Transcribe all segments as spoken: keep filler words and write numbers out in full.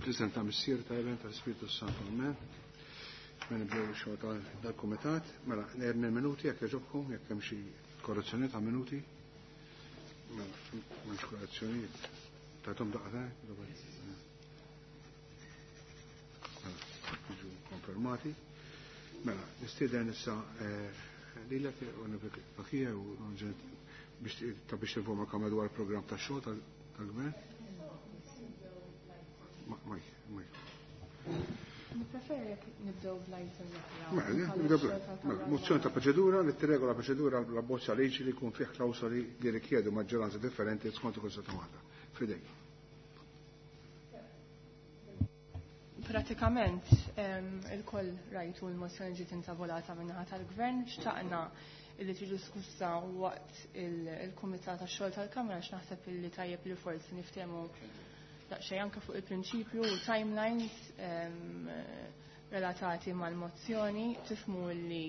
Fl-isem ta' Missier ta' Iben tal-Spiritu Santu. Amen. Mela nibdew ix-xogħol tal-kumitat. Mela erni minuti jekk jogħġobkom, jekk hemm xi korrezzjoni ta' minuti. Mela m'hemmx korrezzjonijiet. Tagħtom daqqa Mela, konfermati. Mela, nistieden issa lilek u nibakija u biex ta' biex tinforma kamra dwar il-programm tax-xogħol tal-gvern. Mike, Mike. Nippreferi jekk nibdew bl-item Mela, nibdew bl Mozzjoni ta' proċedura li tirregola proċedura l abbozza liġi li jkun fih klawsoli li rikjedu maġġoranza differenti skont il-Kostituzzjoni ta' Malta. Fidejk. Pratikament il-koll rajtu l-mozzjoni ġiet intavolata min-naħa tal-Gvern, xtaqna li tiġi diskussa waqt il-Kumitat tax-xogħol tal-Kamra għax naħseb illi tajjeb li forsi niftehmu daqsxejn anke fuq il-prinċipju u timelines relatati mal-mozzjoni. Tifhmu li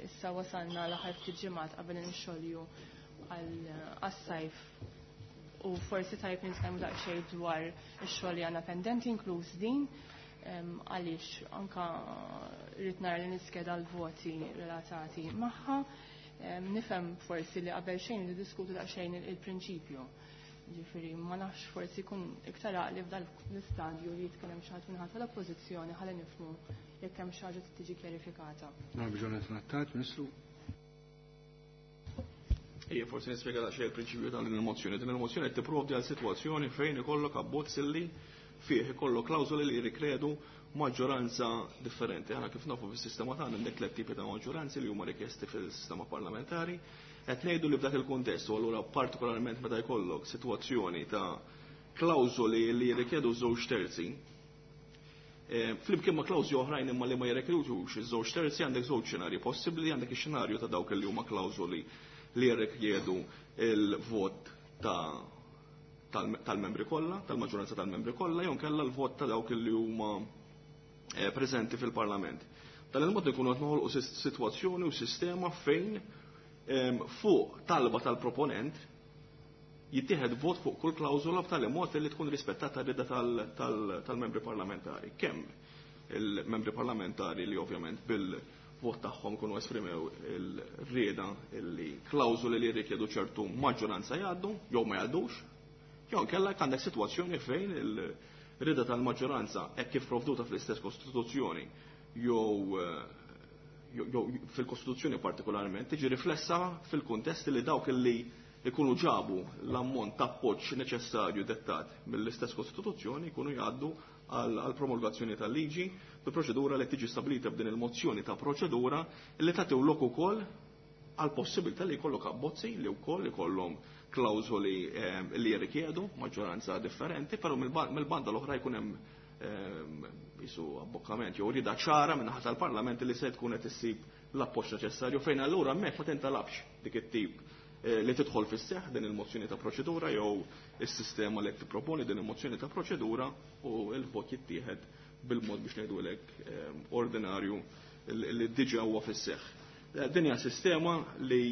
issa wasalna l-aħħar ftit ġimgħat qabel inxolju għas-sajf u forsi tajjeb nitkellmu daqsxejn dwar ix-xogħol li għandna pendenti inkluż din, għaliex anka rrid nara li niskeda l-voti relatati magħha. Nifhem forsi li qabel xejn niddiskutu daqsxejn il-prinċipju. Ġifieri ma nafx forsi jkun iktar għaqli f'dan l-istadju li jitkellem xi ħadd minħabba tal-oppożizzjoni ħalli nifhmu jekk hemm xi ħaġa tiġi kjarifikata. Nagħmel trattat, Ministru. Ejja, forsi nispjega daqsxejn il-prinċipju ta' din il-mozzjoni. Din il-mozzjoni qed tipprovdi għal sitwazzjoni fejn ikollok abbozz illi fih ikollok klawżoli li jirrikredu maġġoranza differenti. Aħna kif nafu fis-sistema tagħna għandek tliet tipi ta' maġġoranzi li huma rikjesti fil-sistema parlamentari. Qed ngħidu li f'dak il-kuntest u allura partikolarment meta jkollok sitwazzjoni ta' klawżoli li jirrikjedu żewġ terzi, flimkien ma' klawżoli oħrajn imma li ma jirrikjedux iż-żewġ terzi, għandek żewġ xenarji possibbli, għandek ix-xenarju ta' dawk li huma klawżoli li jirrikjedu il-vot ta' tal-membri kollha, tal-maġġoranza tal-membri kollha, jew kellha l-vot ta' dawk li huma preżenti fil-Parlament. Dan il-mod ikunu qed noħolqu sitwazzjoni u sistema fejn fuq talba tal-proponent jittieħed vot fuq kull klawżola b'tali mod li tkun rispettata r-rieda tal-membri parlamentari. Kemm il-membri parlamentari li ovvjament bil-vot tagħhom kunu esprimew il-rieda li klawżoli li jirrikjedu ċertu maġġoranza jgħaddu jew ma jgħaddux, jew kellha għandek sitwazzjoni fejn il-rieda tal-maġġoranza hekk kif provduta fl-istess Kostituzzjoni jew jew fil-Kostituzzjoni partikolarment tiġi riflessa fil-kuntest li dawk li ikunu ġabu l-ammont ta' appoġġ neċessarju dettat mill-istess Kostituzzjoni jkunu jgħaddu għal promulgazzjoni tal-liġi bi proċedura li tiġi stabilita b'din il-mozzjoni ta' proċedura li tagħti lok ukoll għal possibilità li jkollok abbozzi li wkoll ikollhom klawżoli li jirrikjedu maġġoranza differenti, però mill-banda l-oħra jkun hemm jisu abbokkament jew rida ċara minn naħa tal-Parlament li se tkun qed issib l-appoġġ neċessarju fejn allura hemmhekk ma tintalabx dik it-tip li tidħol fis-seħħ din il-mozzjoni ta' proċedura jew is-sistema li qed tipproponi din il-mozzjoni ta' proċedura u l-vot jittieħed bil-mod biex ngħidulek ordinarju li diġà huwa fis-seħħ. Din hija sistema li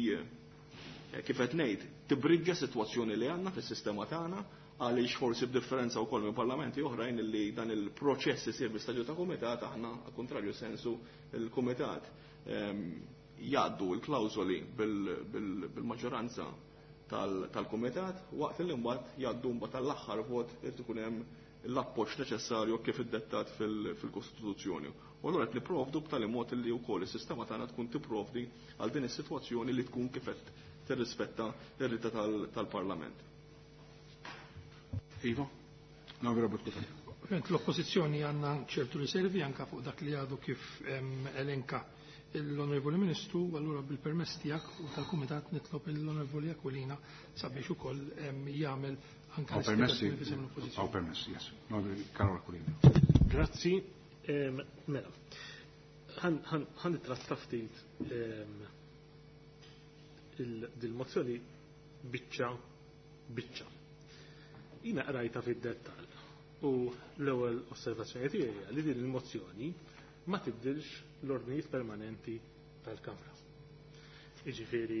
kif qed ngħid tibriġġa sitwazzjoni li għandna fis-sistema tagħna għaliex forsi b'differenza wkoll minn parlamenti oħrajn li dan il-proċess isir bi-stadju ta' kumitat, aħna għal kontrarju sensu il-kumitat jgħaddu l-klawżoli bil-maġġoranza tal-kumitat waqt li mbagħad jgħaddu mbagħad tal-aħħar vot irid ikun hemm l-appoġġ neċessarju kif iddettat fil-Kostituzzjoni. U allura qed nipprovdu b'tali mod li wkoll is-sistema tagħna tkun tipprovdi għal din is-sitwazzjoni li tkun kif qed tirrispetta r-rida tal-Parlament. Iva, no, L-oppożizzjoni għandna ċertu riservi anka fuq dak li għadu kif elenka l-Onorevoli Ministru, allura bil-permess tiegħek u tal-Kumitat nitlob l-Onorevoli Aquilina sabiex ukoll jagħmel anke permessi. Għaw permessi, yes. Karol Aquilina. Grazzi. Mela, ħan nittratta ftit dil-mozzjoni biċċa biċċa. Jina qrajta fid-dettall u l-ewwel osservazzjoni tiegħi li din il-mozzjoni ma tibdilx l-ordnijiet permanenti tal-Kamra. Jiġifieri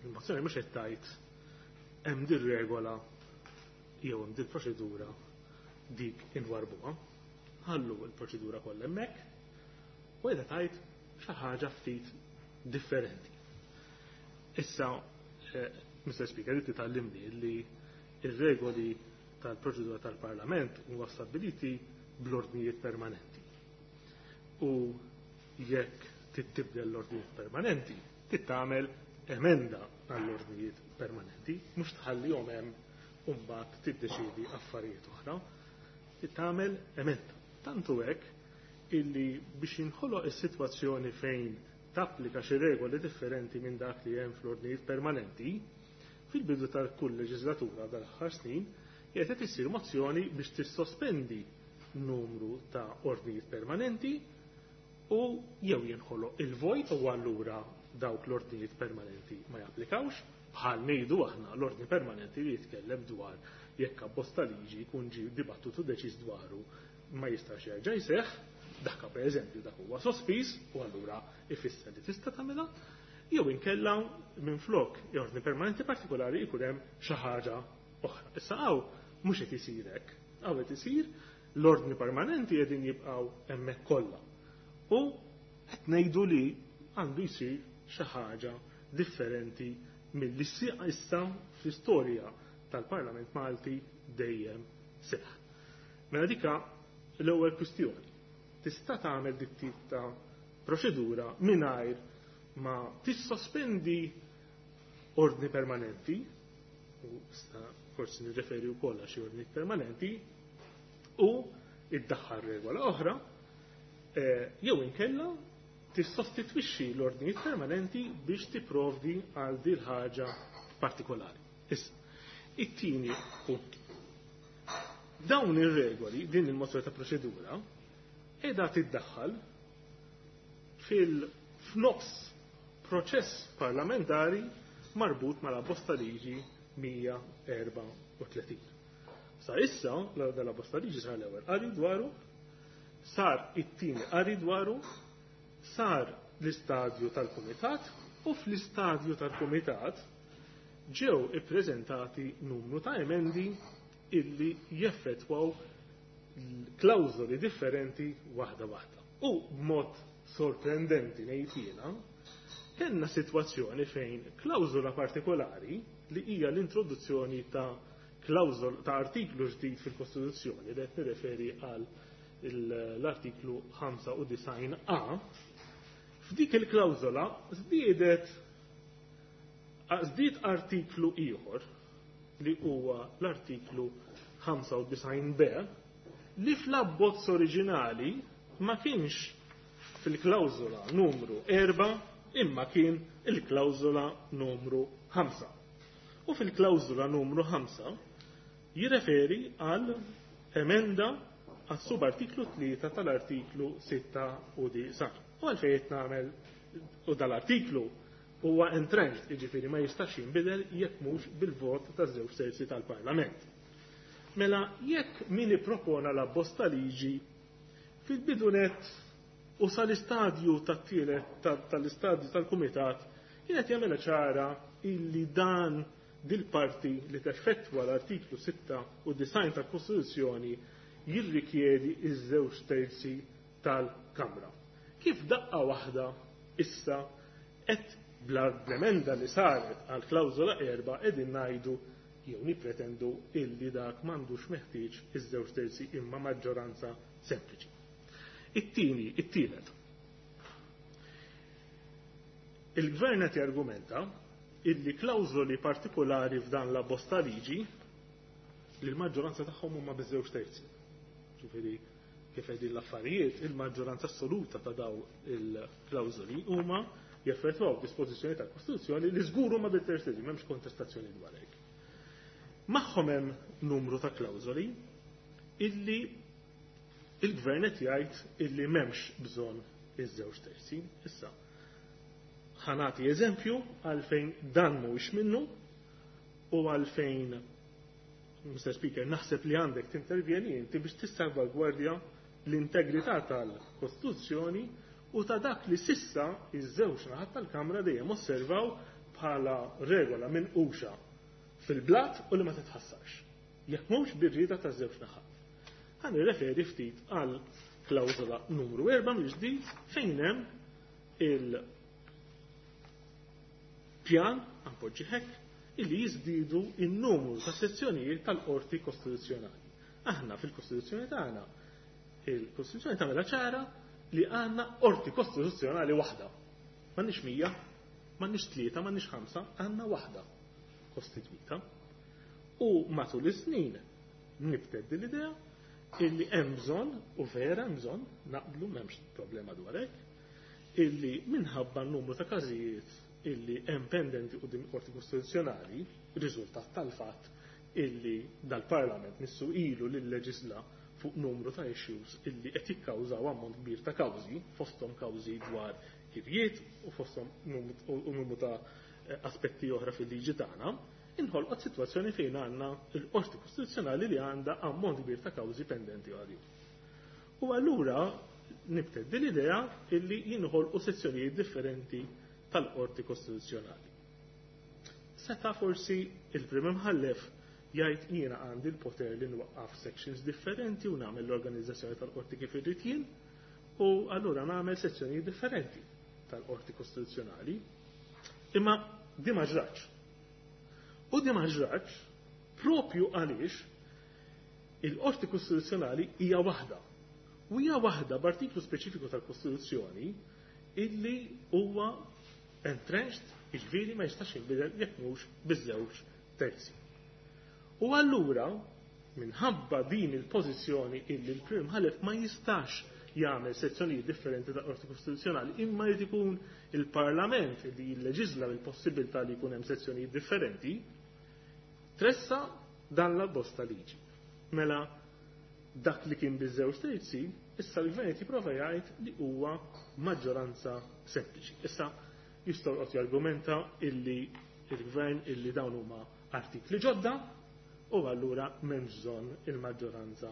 il-mozzjoni mhux qed tgħid hemm din regola jew hemm din proċedura dik inwarbuha. Ħallu l-proċedura kollha hemmhekk u qiegħda tgħid xi ħaġa ftit differenti. Issa, eh, Mister Speaker, inti tgħallimni li ir-regoli tal-proċedura tal-Parlament huwa stabbiliti bl-ordnijiet permanenti. U jekk tittibdel l-ordnijiet permanenti, tittamel emenda għall-ordnijiet permanenti, mhux tħallihom hemm u mbagħad tiddeċiedi affarijiet oħra. Tittamel emenda. Tantu hekk illi biex jinħoloq is-sitwazzjoni fejn tapplika xi regoli differenti minn dak li hemm fl-ordnijiet permanenti, fil-bidu tal-kull leġislatura dal-aħħar snin, qiegħed qed issir mozzjoni biex tissospendi numru ta' ordnijiet permanenti u jew jinħoloq il-vojt u allura dawk l-ordnijiet permanenti ma japplikawx, bħal ngħidu aħna l-ordni permanenti li jitkellem dwar jekk abbozz ta' liġi jkun ġie dibattutu deċiż dwaru ma jistax jerġa' jseħħ, dak pereżempju dak huwa sospiż u allura ifisser li tista' tagħmilha, jew inkella minflok ordni permanenti partikolari jkun hemm xi ħaġa oħra. Issa hawn mhux qed isir hekk, hawn qed isir l-ordni permanenti qegħdin jibqgħu hemmhekk kollha. U qed ngħidu li għandu jsir xi ħaġa differenti milli issa fl-istorja tal-Parlament Malti dejjem seħħ. Mela dika l-ewwel kwistjoni. Tista' tagħmel dik tip ta' proċedura mingħajr ma tissospendi ordni permanenti, u sta forsi nirreferi wkoll għal xi ordni permanenti, u iddaħħal regola oħra, jew inkella tissostitwixxi l-ordnijiet permanenti biex tipprovdi għal din ħaġa partikolari. Issa, it-tieni punt. Dawn ir-regoli, din il-mozzjoni ta' proċedura, qiegħda tiddaħħal fil-f'nofs proċess parlamentari marbut mal-abbozz ta' liġi mija erbgħa u tletin. Sa issa, dal-abbozz ta' liġi sar l-ewwel qari dwaru, sar it-tieni qari dwaru, sar l-istadju tal-kumitat u fl-istadju tal-kumitat ġew ippreżentati numru ta' emendi illi jeffettwaw klawżoli differenti waħda waħda. U b'mod sorprendenti ngħid jiena, kellna sitwazzjoni fejn klawżola partikolari li hija l-introduzzjoni ta' klawżol ta' artiklu ġdid fil-Kostituzzjoni li qed nirreferi għal l-artiklu ħamsa u disgħin A, f'dik il-klawżola żdiedet żdied artiklu ieħor li huwa l-artiklu ħamsa u disgħin B li fl-abbozz oriġinali ma kienx fil-klawżola numru erba' imma kien il-klawżola numru ħamsa. U fil-klawżola numru ħamsa jirreferi għal emenda għas subartiklu tlieta tal-artiklu sitta u disgħin. U għalfejn qed nagħmel u dal-artiklu huwa entrenched, jiġifieri ma jistax jinbidel jekk mhux bil-vot taż-żewġ terzi tal-Parlament. Mela jekk min ippropona l-abbozz ta' liġi fil-bidunet u sal-istadju tat-tielet tal-istadju tal-kumitat kienet jagħmilha ċara illi dan dil-parti li teffettwa l-artiklu sitta u disgħin tal-Kostituzzjoni jirrikjedi iż-żewġ terzi tal-Kamra. Kif daqqa waħda issa qed bl-emenda li saret għal klawżola erba' qegħdin ngħidu jew nippretendu illi dak m'għandux meħtieġ iż-żewġ terzi imma maġġoranza sempliċi. It-tieni, it-tielet. Il-gvern qed jargumenta illi klawżoli partikolari f'dan l-abbozz ta' liġi li l-maġġoranza tagħhom huma biż-żewġ terzi. Ġifieri kif qegħdin l-affarijiet, il-maġġoranza assoluta ta' daw il-klawżoli huma jaffettwaw dispożizzjoni tal-Kostituzzjoni li żgur huma bil-terzi, m'hemmx kontestazzjoni dwar hekk. Magħhom hemm numru ta' klawżoli illi il-gvern qed jgħid illi m'hemmx bżonn iż-żewġ terzi. Issa, ħanati eżempju għalfejn dan mhuwiex minnu u għalfejn, Mister Speaker, naħseb li għandek tintervjeni inti biex tissalvagwardja l-integrità tal-Kostituzzjoni u ta' dak li sissa iż-żewġ naħat tal-Kamra dejjem osservaw bħala regola minn uxa fil-blat u li ma titħassarx. Jekk mhux bir-rieda taż-żewġ naħat. Ħa nirreferi ftit għal klawżola numru erba' mill-ġdid fejn hemm il-pjan appoġġi hekk illi jiżdiedu in-numru ta' sezzjonijiet tal-Qorti Kostituzzjonali. Aħna fil-Kostituzzjoni tagħna il-Kostituzzjoni tagħmilha ċara li għandna Qorti Kostituzzjonali waħda. M'għandniex mija, m'għandniex tlieta, m'għandniex ħamsa, għandna waħda kostitwita. U matul is-snin nibtet din l-idea illi hemm bżonn, u vera hemm bżonn, naqblu m'hemmx problema dwar hekk, illi minħabba n-numru ta' każijiet illi hemm pendenti quddiem il-Qorti Kostituzzjonali, riżultat tal-fatt illi dal-Parlament missu ilu lil leġisla fuq numru ta' issues illi qed jikkawżaw ammont kbir ta' kawżi, fosthom kawżi dwar kirjiet u fosthom numru ta' aspetti oħra fil-liġi tagħna, inħolqot sitwazzjoni fejn għandna l-Qorti Kostituzzjonali li għandha ammont kbir ta' kawżi pendenti għalihom. U allura nibted din l-idea illi jinħolqu sezzjonijiet differenti tal-Qorti Kostituzzjonali. Seta' forsi il-Prim Imħallef jgħid jiena għandi l-poter li nwaqqaf sections differenti u nagħmel l-organizzazzjoni tal-qorti kif irrid jien, u allura nagħmel sezzjonijiet differenti tal-Qorti Kostituzzjonali. Imma di ma ġratx. U di ma ġratx propju għaliex il-Qorti Kostituzzjonali hija waħda. U hija waħda b'artiklu speċifiku tal-Kostituzzjoni illi huwa entrenched, jiġifieri ma jistax jinbidel jekk mhux biż-żewġ terzi. U allura minħabba din il-pożizzjoni illi l-Prim Imħallef ma jistax jagħmel sezzjonijiet differenti ta' Qorti Kostituzzjonali, imma jrid ikun il-Parlament li jilleġisla bil-possibilità li jkun hemm sezzjonijiet differenti, tressa dan l-abbozz ta' liġi. Mela dak li kien biż-żewġ terzi, issa l-gvern qed jipprova jgħid li huwa maġġoranza sempliċi. Issa jistgħu joqgħod jargumenta illi il-gvern illi dawn huma artikli ġodda u allura m'hemmx bżonn il-maġġoranza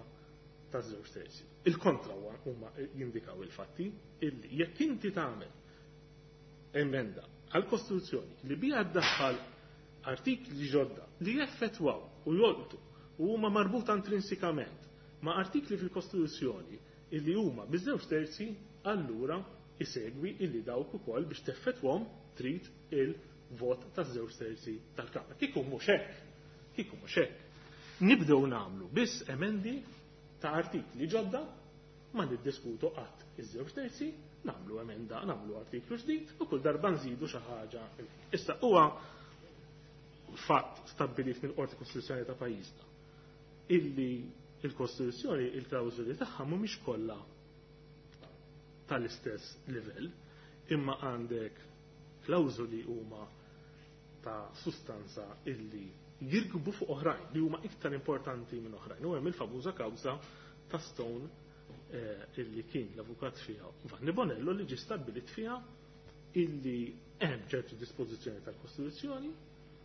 ta' żewġ terzi. Il-kontra huma jindikaw il-fatti illi jekk inti tagħmel emenda għall-Kostituzzjoni li biha ddaħħal artikli ġodda li jeffettwaw u jolqtu u huma marbuta intrinsikament ma' artikli fil-Kostituzzjoni illi huma biż-żewġ terzi, allura isegwi illi dawk ukoll biex teffettwhom trid il-vot taż-żewġ terzi tal-Kamra. Kieku mhux hekk, kieku mhux hekk. Nibdew nagħmlu biss emendi ta' artikli ġodda, ma niddiskutu qatt iż-żewġ terzi, nagħmlu emenda, nagħmlu artiklu ġdid u kull darba nżidu xi ħaġa. Issa huwa fatt stabbilit mill-Qorti Kostituzzjonali ta' pajjiżna illi il-Kostituzzjoni il-klawżoli tagħha mhumiex kollha tal-istess livell, imma għandek klawżoli huma ta' sustanza illi jirkbu fuq oħrajn, li huma iktar importanti minn oħrajn. U hemm il-famuża kawża ta' Stone eh, illi kien l-avukat fiha Vanni Bonello li ġie stabbilit fiha illi hemm ċertu dispożizzjoni tal-Kostituzzjoni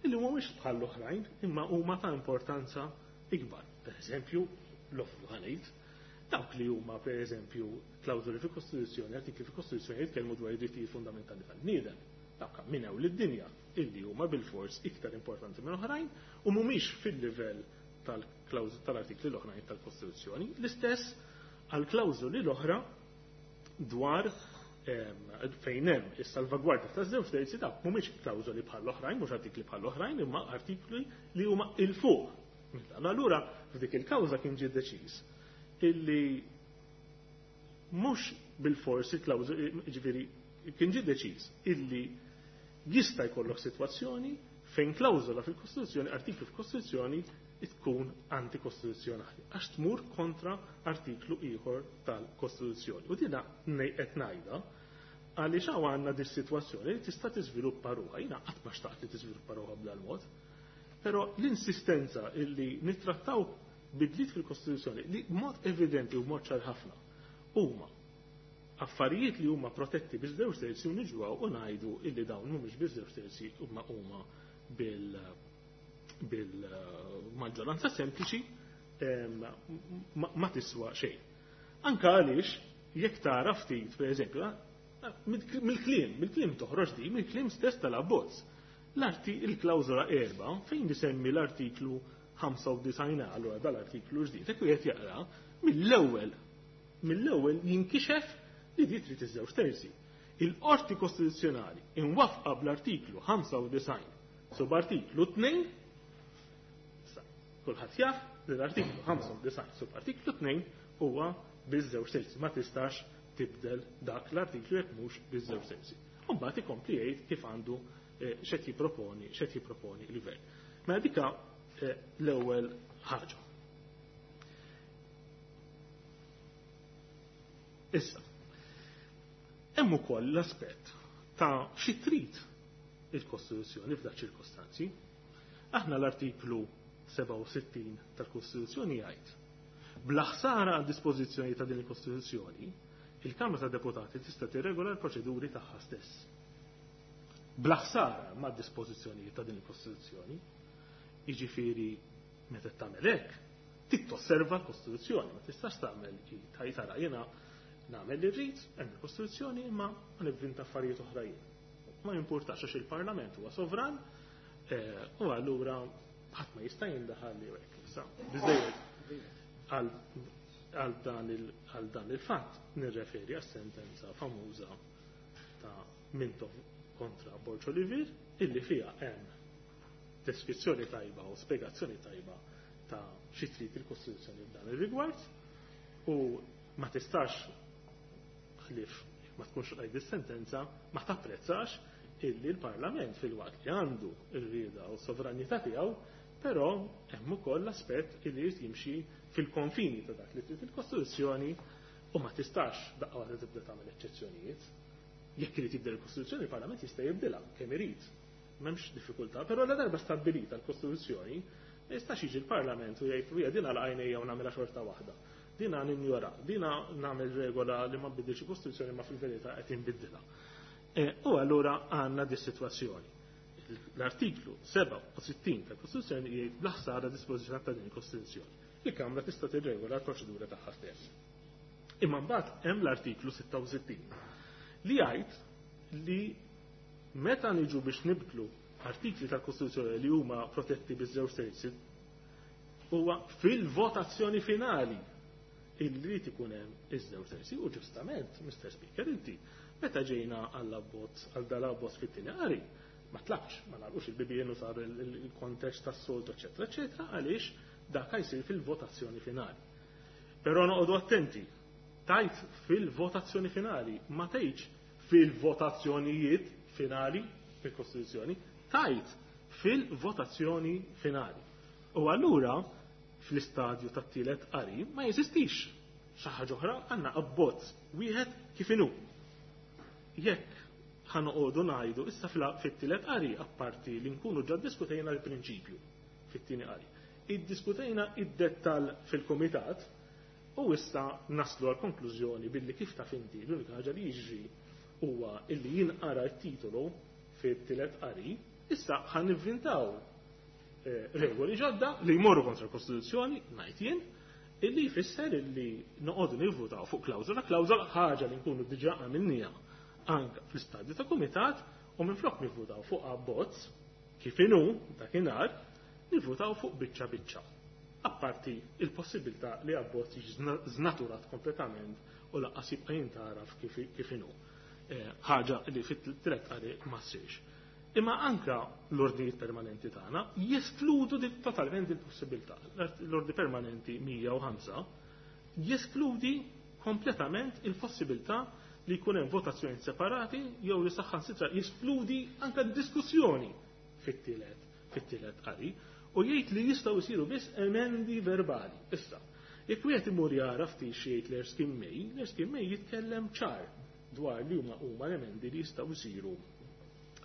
illi mhumiex bħal oħrajn imma huma ta' importanza ikbar. Per eżempju, l-offru ħanejt, dawk li huma per eżempju klawżoli fil-Kostituzzjoni, artikli fil-Kostituzzjoni jitkellmu dwar id-drittijiet fundamentali tal-bniedem. Dawk minew lid-dinja illi huma bil-fors iktar importanti minn oħrajn u mhumiex fil-livell tal-artikli l-oħrajn tal-Kostituzzjoni. L-istess għal klawżoli l-oħra dwar fejn hemm is-salvagwardja ta' żewġ terzi dawk mhumiex klawżoli bħal oħrajn, mhux artikli bħal oħrajn, imma artikli li huma il fuq. Allura f'dik il-kawża kien ġie deċiż illi mhux bil-fors il-klawżoli, ġifieri kien ġie deċiż illi jista' jkollok sitwazzjoni fejn klawżola fil-Kostituzzjoni, artiklu fil-Kostituzzjoni tkun antikostituzzjonali, għax tmur kontra artiklu ieħor tal-Kostituzzjoni. U dina qed ngħidha għaliex hawn għandna dis sitwazzjoni li tista' tiżviluppa ruħha. Jiena qatt ma xtaqt li tiżviluppa ruħha b'dal-mod, però l-insistenza illi nittrattaw bidliet fil-Kostituzzjoni li b'mod evidenti u b'mod ċar ħafna huma affarijiet li huma protetti biż żewġ terzi u niġu u ngħidu illi dawn mhumiex biż żewġ terzi huma huma bil bil-maġġoranza sempliċi ma tiswa xejn. Anka għaliex jekk tara ftit, pereżempju, mill-kliem, mill-kliem toħroġ di, mill-kliem stess tal-abbozz. L-arti il-klawżola erba' fejn isemmi l-artiklu ħamsa u disgħin allura dal-artiklu ġdid, hekk wieħed jaqra mill-ewwel mill-ewwel jinkixef li di trid iż-żewġ terzi. Il-Qorti Kostituzzjonali inwafqa bl-artiklu ħamsa u disgħin subartiklu tnejn, kulħadd jaf li l-artiklu ħamsa u disgħin subartiklu tnejn huwa biż-żewġ terzi, ma tistax tibdel dak l-artiklu jekk mhux biż-żewġ terzi. U mbagħad ikompli jgħid kif għandu x'qed jipproponi, x'qed jipproponi l-gvern. Mela dika l-ewwel ħaġa. Issa, hemm ukoll l-aspett ta' xi trid il-Kostituzzjoni f'dak ċirkostanzi. Aħna l-artiklu sebgħa u sittin tal-Kostituzzjoni jgħid bla ħsara għad dispożizzjoni ta' din il-Kostituzzjoni, il-Kamra tad Deputati tista' tirregola l-proċeduri tagħha stess. Bla ħsara ma' dispożizzjonijiet ta' din il-Kostituzzjoni, jiġifieri meta tagħmel hekk, trid tosserva l-Kostituzzjoni, ma tistax tagħmel tara jiena nagħmel li rrid, hemm il-Kostituzzjoni imma ma nivvinta affarijiet oħra jien. Ma jimpurtax għax il-Parlament huwa sovran u allura ħadd ma jista' jindaħal li hekk. Issa biżejjed għal dan il-fatt nirreferi għas-sentenza famuża ta' Mintoff kontra Borg Olivier illi fiha hemm deskrizzjoni tajba u spjegazzjoni tajba ta' xi trid il-Kostituzzjoni f'dan ir-rigward u ma tistax ħlief ma tkunx qrajt is-sentenza ma tapprezzax illi l-Parlament fil-waqt li għandu r-rieda u s-sovranità tiegħu, però hemm ukoll l-aspett illi jrid jimxi fil-konfini ta' dak li trid il-Kostituzzjoni u ma tistax daqqa waħda tibda tagħmel eċċezzjonijiet. Jekk irid jibdel il-Kostituzzjoni, il-Parlament jista' jibdilha kemm irid. M'hemmx diffikultà, però la darba stabbilita l-Kostituzzjoni, ma jistax jiġi l-Parlament u jgħid wija din għal għajnejja u nagħmilha xorta waħda. Dina ninjora, dina nagħmel regola li ma nbiddilx il-Kostituzzjoni ma fil-verità qed inbiddilha. U allura għandna di sitwazzjoni. L-artiklu sebgħa u sittin tal-Kostituzzjoni jgħid bla ħsara dispożizzjoni ta' din il-Kostituzzjoni. Il-Kamra tista' tirregola l-proċedura tagħha stess. Imma mbagħad hemm l-artiklu sitta u sittin li jgħid li meta niġu biex nibdlu artikli tal-Kostituzzjoni li huma protetti biż-żewġ terzi huwa fil-votazzjoni finali illi ikun hemm iż-żewġ terzi u ġustament, Mister Speaker, inti meta ġejna għall-abbozz għal dal-abbozz fit-tieni qari ma tlabx, ma nagħlqux il-bibien u sar il-kontest tas-soltu, eċetera, eċetera, għaliex dak jsir fil-votazzjoni finali. Però noqogħdu attenti, tajt fil-votazzjoni finali, ma tgħidx fil-votazzjonijiet finali fil-Kostituzzjoni, tajt fil-votazzjoni finali. U allura fl-istadju tat-tielet qari ma jeżistix xi ħaġa oħra, għandna abbozz wieħed kif inhu. Jekk ħanoqogħdu ngħidu issa fit-tielet qari apparti li nkunu ġa ddiskutejna l-prinċipju fit-tieni qari. Iddiskutejna id-dettall fil-kumitat u issa naslu għal konklużjoni billi kif taf inti l-unika ħaġa li jiġri huwa illi jinqara t-titolu fit-tielet qari, issa ħan nivvintaw regoli ġodda li jmorru kontra l-Kostituzzjoni, ngħid jien, illi jfisser illi noqogħdu nivvutaw fuq klawżola, klawżola ħaġa li nkunu diġà għamilniha anke fl-istadju ta' kumitat u minflok nivvutaw fuq abbozz kif inhu dakinhar, nivvutaw fuq biċċa biċċa. Apparti il-possibilità li abbozz jiġi żnaturat kompletament u lanqas jibqa' jintaraf kif inhu. Ħaġa li fit-tielet qari ma ssirx. Imma anka l-ordnijiet permanenti tagħna jeskludu totalment il-possibilità. L-ordni permanenti mija u ħamsa jeskludi kompletament il-possibilità li jkun hemm votazzjoni separati jew li saħħansitra jeskludi anka d-diskussjoni fit-tielet fit-tielet qari u jgħid li jistgħu jsiru biss emendi verbali. Issa, jekk wieħed imur jara ftit xi jgħid l-Erskine May, l-Erskine May jitkellem ċar dwar li huma huma l-emendi li jistgħu jsiru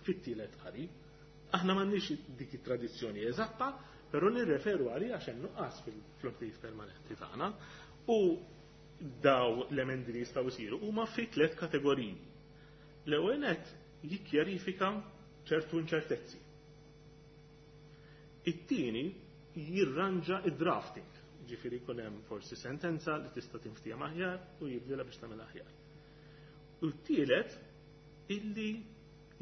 fit-tielet qari. Aħna m'għandniex dik it-tradizzjoni eżatta, però nirreferu għalija għax hemm nuqqas fil-ordnijiet permanenti tagħna u daw l-emendi li jistgħu jsiru huma fi tliet kategoriji. L-ewwel nett jikkjarifika ċertu inċertezzi. It-tieni jirranġa id-drafting, ġifieri jkun hemm forsi sentenza li tista' tinftiehem aħjar u jibdilha biex tagħmel aħjar. U t-tielet illi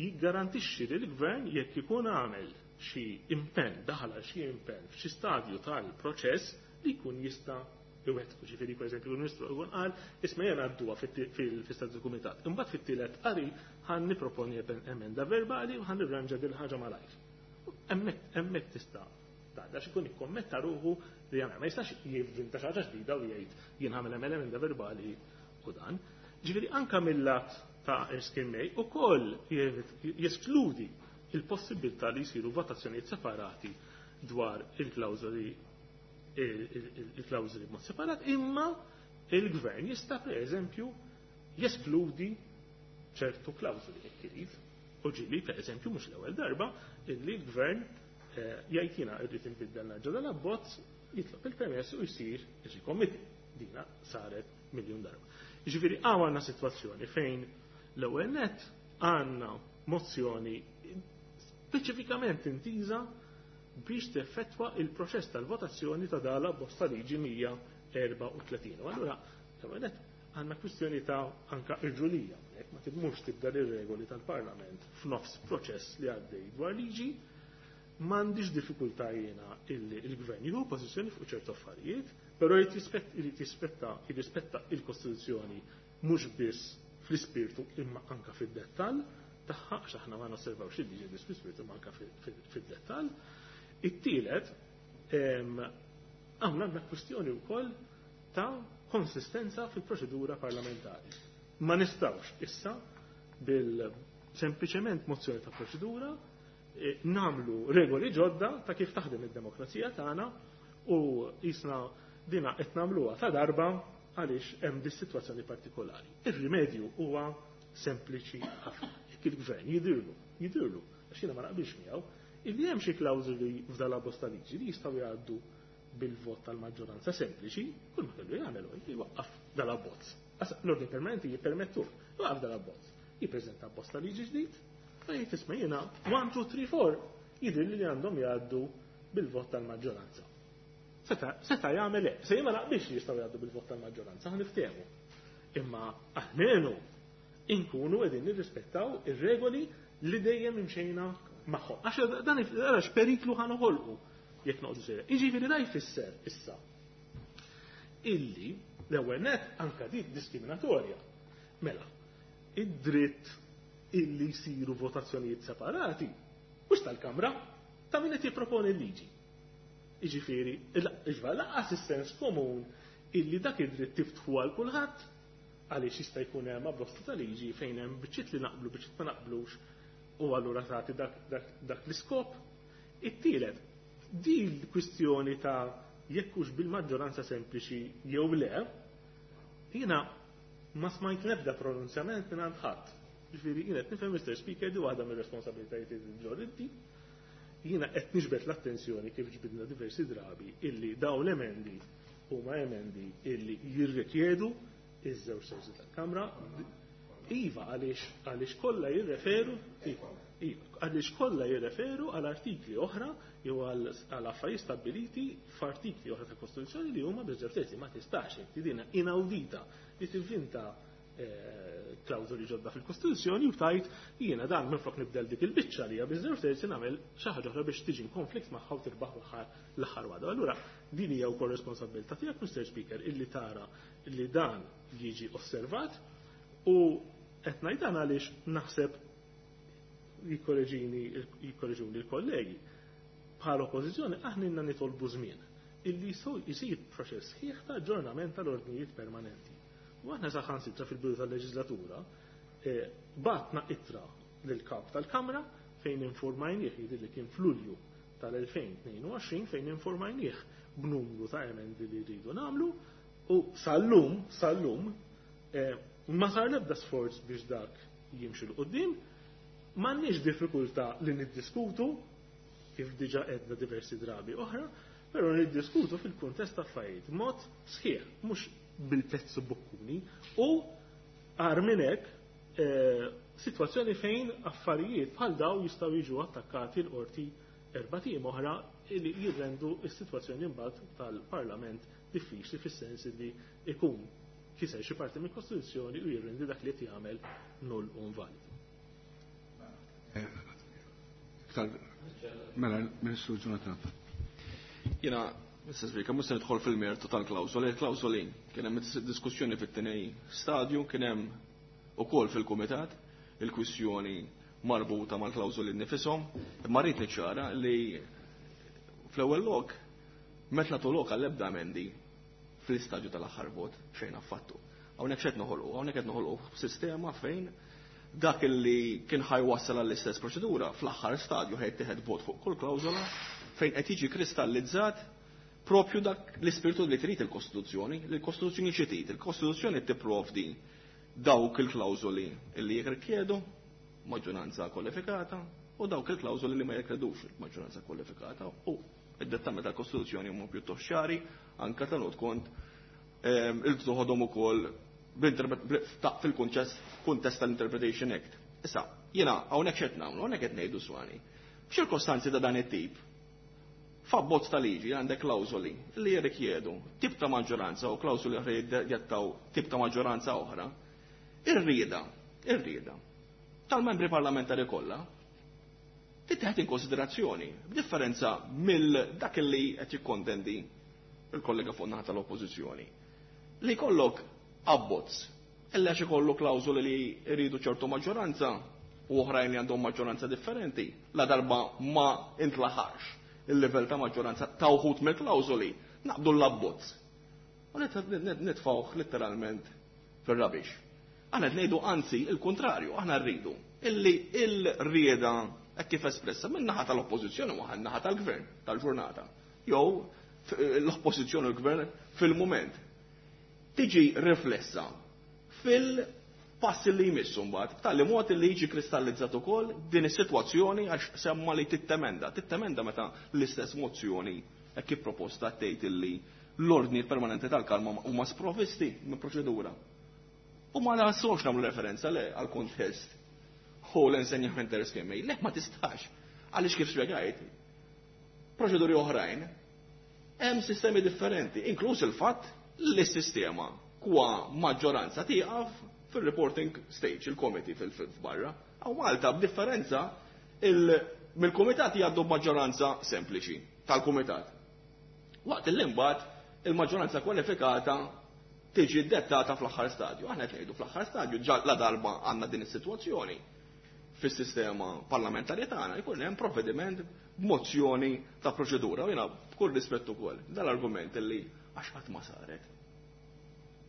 jiggarantixxi li l-gvern jekk ikun għamel xi impenn, daħal għal xi impenn f'xi stadju tal-proċess li jkun jista' iwettqu. Ġifieri pereżempju l-Ministru jkun qal isma' jien għadduha fil-istadju kumitat. Imbagħad fit-tielet qari ħan nipproponi emenda verbali u ħan nirranġa din ħaġa malajr. Hemmhekk tista' għax ikun ikkommetta ruħu li jagħmel. Ma jistax jivvinta xi ħaġa ġdida u jgħid jien ħamel emenda verbali u dan. Ġifieri anke mill-lat ta' Erskine May ukoll jeskludi il-possibilità li jsiru votazzjonijiet separati dwar il-klawżoli il-klawżoli b'mod separat, imma il-gvern jista' pereżempju jeskludi ċertu klawżoli jekk irid. U ġieli pereżempju mhux l-ewwel darba illi l-gvern jgħid jiena rrid inbiddel nerġa' dan abbozz, jitlob il-permess u jsir ir-rikommitti. Dina saret miljun darba. Jiġifieri hawn għandna sitwazzjoni fejn l-ewwel nett għandna mozzjoni speċifikament intiża biex teffettwa il-proċess tal-votazzjoni ta' dala abbozz ta' liġi mija erba' u tletin. U allura l-ewwel nett għandna kwistjoni ta' anka irġulija, hekk ma tibmux tibda ir-regoli tal-Parlament f'nofs proċess li għaddej dwar liġi. M'għandix diffikultà jiena illi il-gvern jieħu pożizzjoni fuq ċertu affarijiet, però jrid jispetta jirrispetta il-Kostituzzjoni mhux biss fl-ispirtu imma anka fid-dettall tagħha, għax aħna ma nosservawx il-liġi biss fl-ispirtu imma anka fid-dettall. It-tielet, hawn għandna kwistjoni wkoll ta' konsistenza fil-proċedura parlamentari. Ma nistgħux issa bil sempliċement mozzjoni ta' proċedura namlu regoli ġodda ta' kif taħdem id-demokrazija tagħna u jisna dina qed nagħmluha ta' darba għaliex hemm dis sitwazzjoni partikolari. Ir-rimedju huwa sempliċi ħafna. Jekk il-gvern jidirlu, jidirlu, għax jiena ma naqbilx miegħu, illi hemm xi klawżoli f'dan l-abbozz ta' liġi li jistgħu jgħaddu bil-vot tal-maġġoranza sempliċi, kull ma kellu jagħmel huwa jwaqqaf dal-abbozz. L-ordni permanenti jippermettuh, jwaqqaf dal-abbozz. Jippreżenta abbozz ta' liġi ġdid, u jgħid isma' jiena one, two, three, four jidher li għandhom jgħaddu bil-vot tal-maġġoranza. Seta, seta jagħmel hekk, se jien ma naqbilx li jistgħu jgħaddu bil-vot tal-maġġoranza, ħa niftehmu. Imma almenu inkunu qegħdin nirrispettaw ir-regoli li dejjem imxejna magħhom. Għax dan għax periklu ħa noħolqu jekk noqogħdu sejra. Jiġifieri da jfisser issa illi l-ewwel nett anka dik diskriminatorja. Mela, id-dritt illi jsiru votazzjonijiet separati mhux tal-Kamra, ta' min qed jipproponi l-liġi. Jiġifieri, iġva laqas is-sens komun illi dak id-dritt tiftħu għal kulħadd għaliex jista' jkun hemm abbozz ta' liġi fejn hemm biċċiet li naqblu, biċċiet ma naqblux, u allura tagħti dak, dak, dak l-iskop. It-tielet, din l-kwistjoni ta' jekk hux bil-maġġoranza sempliċi jew le, jiena ma smajt l-ebda pronunzjament minn għand ħadd. Ġifieri jien qed nifhem, Mister Speaker, di waħda mir-responsabilitajiet li ġorr inti. Jiena qed niġbed l-attenzjoni kif ġbidna diversi drabi illi dawn l-emendi huma emendi illi jirrikjedu iż-żewġ terzi tal-Kamra. Iva, għaliex, għaliex kollha jirreferu, iva, iva, għaliex kollha jirreferu għal artikli oħra jew għal, għal affarijiet stabbiliti f'artikli oħra ta' Kostituzzjoni li huma biż-żewġ terzi. Ma tistax inti dina inawdita li tivvinta, eh, klawżoli ġodda fil-Kostituzzjoni u tajt jiena dan minflok nibdel dik il-biċċa li hija biż-żewġ terzi nagħmel xi ħaġa oħra biex tiġi konflitt magħha u tirbaħ l-aħħar, l-aħħar waħda. Allura din hija wkoll responsabilità tiegħek, Mister Speaker, illi tara li dan jiġi osservat u qed ngħid dan għaliex naħseb jikkoreġini, jikkoreġuni l-kollegi. Bħala oppożizzjoni aħna inna nitolbu żmien illi jsir proċess sħiħ ta' aġġornament tal-ordnijiet permanenti. U aħna saħansitra fil-bidu tal-leġislatura, eh, batna ittra lill-kap tal-Kamra fejn informajnieh, jidher li kien f'Lulju tal-elfejn tnejn u għoxrin, fejn informajnieh b'numru ta' emendi li rridu nagħmlu, u sal-lum, sal-lum, eh, ma sar l-ebda sforz biex dak jimxi l quddiem. M'għandniex diffikultà li niddiskutu, kif diġà għedna diversi drabi oħra, però niddiskutu fil-kuntest ta' affarijiet mod sħiħ, mhux bil-pezzu bukkuni, u għar minn hekk, eh, sitwazzjoni fejn affarijiet bħal daw jistgħu jiġu attakkati l-qorti erba' tim oħra li jirrendu s-sitwazzjoni imbagħad tal-Parlament diffiċli fis-sens li ikun kiser xi parti mill-Kostituzzjoni u jirrendi dak li qed jagħmel null u invalidu. Iktar mela Ministru Jonathan. Jiena, Mister Speaker, mhux se nidħol fil-mertu tal-klawżoli. Il-klawżoli kien hemm diskussjoni fit-tieni stadju, kien hemm ukoll fil-kumitat il-kwistjoni marbuta mal-klawżoli nifishom, imma rrid niċċara li fl-ewwel lok meta nagħtu lok għall-ebda emendi fl-istadju tal-aħħar vot xejn affattu. Hawnhekk x'qed noħolqu, hawnhekk qed noħolqu sistema fejn dak li kien ħajwassal għall-istess proċedura fl-aħħar stadju ħajtieħed vot fuq kull klawżola fejn qed jiġi kristallizzat propju dak l-ispirtu li trid il-Kostituzzjoni. Il-Kostituzzjoni xi trid? Il-Kostituzzjoni tipprovdi dawk il-klawżoli li jirrikjedu maġġoranza kwalifikata u dawk il-klawżoli li ma jirrikjedux maġġoranza kwalifikata, u id-dettami tal-Kostituzzjoni huma pjuttost ċari anke tenut kont il-toħodhom ukoll fil-kuntest tal-Interpretation Act. Issa, jiena hawnhekk x'qed nagħmlu, hawnhekk qed ngħidu swani. F'ċirkostanzi ta' dan it-tip, f'abbozz ta' liġi għandek klawżoli li jirrikjedu tip ta' maġġoranza u klawżoli oħra jiddettaw tip ta' maġġoranza oħra, ir-rieda, ir-rieda tal-membri parlamentari kollha tittieħed in konsiderazzjoni, b'differenza mill dak li qed jikkontendi il-kollega fuq naħa tal-oppożizzjoni. Li jkollok abbozz, illa xi jkollu klawżoli li jridu ċertu maġġoranza u oħrajn li għandhom maġġoranza differenti, la darba ma intlaħax il-livell ta' maġġoranza ta' wħud mill-klawżoli, naqbdu l-abbozz. U nitfgħuh letteralment fir-rubbish. Aħna qed ngħidu anzi il-kontrarju, aħna rridu illi il-rieda hekk kif espressa minn naħa tal-oppożizzjoni u naħa tal-gvern tal-ġurnata, jew l-oppożizzjoni u l-gvern fil-mument tiġi riflessa fil-passi li jmissu mbagħad, b'tali mod li jiġi kristallizzat ukoll din is-sitwazzjoni għax semma li tittemenda. Tittemenda meta l-istess mozzjoni hekk kif proposta tgħid illi l-ordni permanenti tal-kalma huma sprovvisti minn proċedura. U ma nagħsux nagħmlu referenza le għal kontest u l-ensegnament scheme. Le ma tistax. Għaliex kif spjegajt, proċeduri oħrajn hemm sistemi differenti, inkluż il-fatt li s-sistema kwa maġġoranza tieqaf fil-reporting stage, il-committee fil-barra. Għaw Malta, b'differenza, mill-komitat jgħaddu maġġoranza sempliċi tal-komitat. Waqt l-imbagħad il-maġġoranza kwalifikata tiġi dettata fl-aħħar stadju. Aħna qed ngħidu fl-aħħar stadju ġa la darba għandna din is-sitwazzjoni fis-sistema parlamentari tagħna jkun hemm provvediment b'mozzjoni ta' proċedura. U jiena b'kull rispett ukoll dal-argument li għax qatt ma saret.